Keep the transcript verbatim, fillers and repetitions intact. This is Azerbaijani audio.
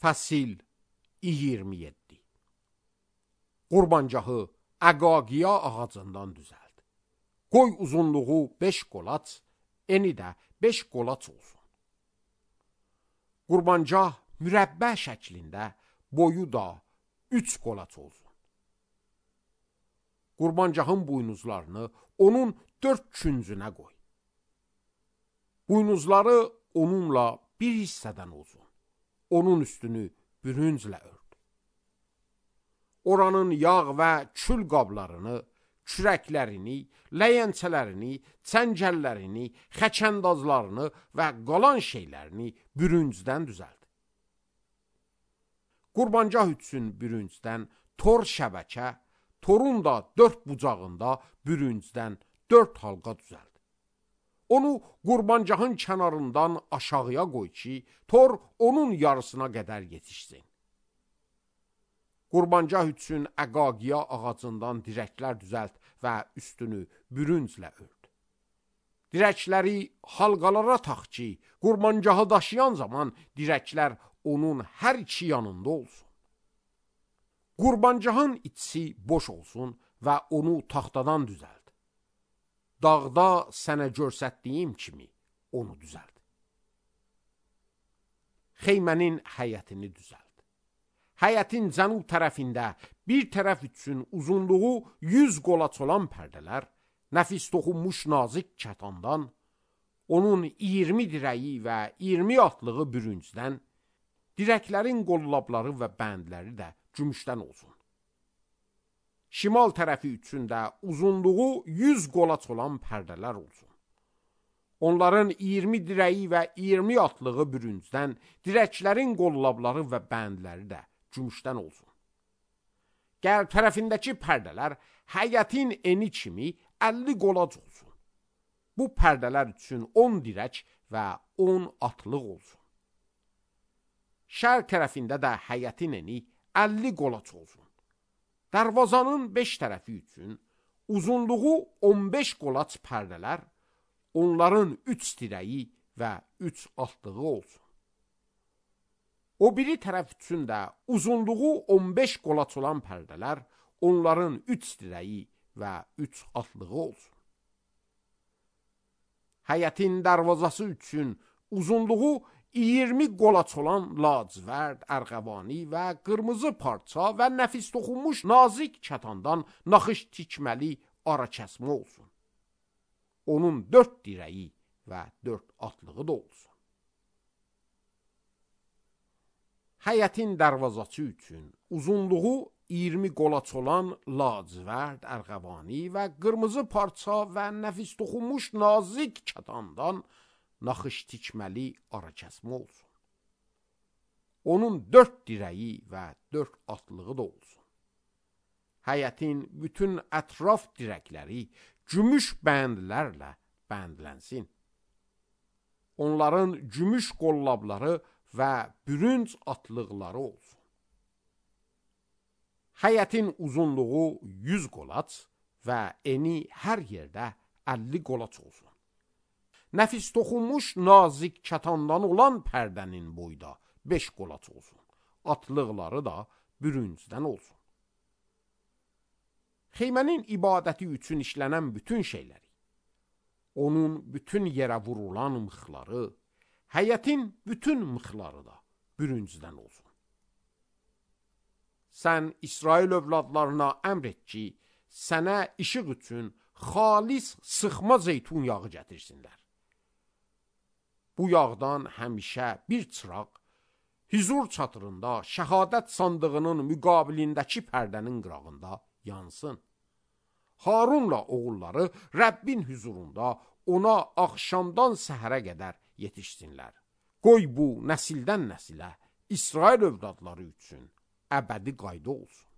Fəsil iyirmi yeddi. Qurbancahı əqaqiya ağacından düzəld. Qoy uzunluğu beş qolaç, eni də beş qolaç olsun. Qurbancah mürəbbə şəklində, boyu da üç qolaç olsun. Qurbancahın buynuzlarını onun dörd küncünə qoy. Buynuzları onunla bir hissədən olsun. Onun üstünü bürünclə ört. Oranın yağ və kül qablarını, kürəklərini, ləyəncələrini, çəngəllərini, xəkəndazlarını və qalan şeylərini bürüncdən düzəld. Qurbancah üçün bürüncdən tor şəbəkə, torun da dörd bucağında bürüncdən dörd halqa düzəld. Onu qurbancahın kənarından aşağıya qoy ki, tor onun yarısına qədər yetişsin. Qurbancah üçün əqaqiya ağacından dirəklər düzəlt və üstünü bürünclə ört. Dirəkləri halqalara tax ki, qurbancahı daşıyan zaman dirəklər onun hər iki yanında olsun. Qurbancahın içi boş olsun və onu taxtadan düzəlt. Dağda sənə görsətdiyim kimi onu düzəld. Xeymənin həyətini düzəld. Həyətin cənub tərəfində bir tərəf üçün uzunluğu yüz qolaç olan pərdələr, nəfis toxunmuş nazik kətandan, onun iyirmi dirəyi və iyirmi atlığı bürüncdən, dirəklərin qollabları və bəndləri də gümüşdən olsun. Şimal tərəfi üçün də uzunluğu yüz qolaç olan pərdələr olsun. Onların iyirmi dirəyi və iyirmi atlığı bürüncdən, dirəklərin qollabları və bəndləri də gümüşdən olsun. Qərb tərəfindəki pərdələr həyətin eni kimi əlli qolac olsun. Bu pərdələr üçün on dirək və on atlıq olsun. Şərq tərəfində də həyətin eni əlli qolac olsun. Darvazanın beş tərəfi üçün uzunluğu on beş qolaç pərdələr, onların üç dirəyi və üç altlığı olsun. O biri tərəf üçün də uzunluğu on beş qolaç olan pərdələr, onların üç dirəyi və üç altlığı olsun. Həyətin darvazası üçün uzunluğu iyirmi qolaç olan lacivərd, ərğəvani və qırmızı parça və nəfis toxunmuş nazik kətandan naxış tikməli ara kəsmə olsun. Onun dörd dirəyi və dörd atlığı da olsun. Həyətin darvazası üçün uzunluğu iyirmi qolaç olan lacivərd, ərğəvani və qırmızı parça və nəfis toxunmuş nazik kətandan naxış tikməli ara kəsmə olsun. Onun dörd dirəyi və dörd atlığı da olsun. Həyətin bütün ətraf dirəkləri gümüş bəndlərlə bəndlənsin. Onların gümüş qollabları və bürünc atlıqları olsun. Həyətin uzunluğu yüz qolaç və eni hər yerdə əlli qolaç olsun. Nəfis toxunmuş nazik kətandan olan pərdənin boyda beş qolaç olsun. Atlıqları da bürüncdən olsun. Xeymənin ibadəti üçün işlənən bütün şeyləri, onun bütün yerə vurulan mıxları, həyətin bütün mıxları da bürüncdən olsun. Sən İsrail övladlarına əmr et ki, sənə işıq üçün xalis sıxma zeytun yağı gətirsinlər. Bu yağdan həmişə bir çıraq, hüzur çatırında, şəhadət sandığının müqabilindəki pərdənin qırağında yansın. Harunla oğulları Rəbbin hüzurunda ona axşamdan səhərə qədər yetişsinlər. Qoy bu nəsildən nəsilə İsrail övladları üçün əbədi qayda olsun.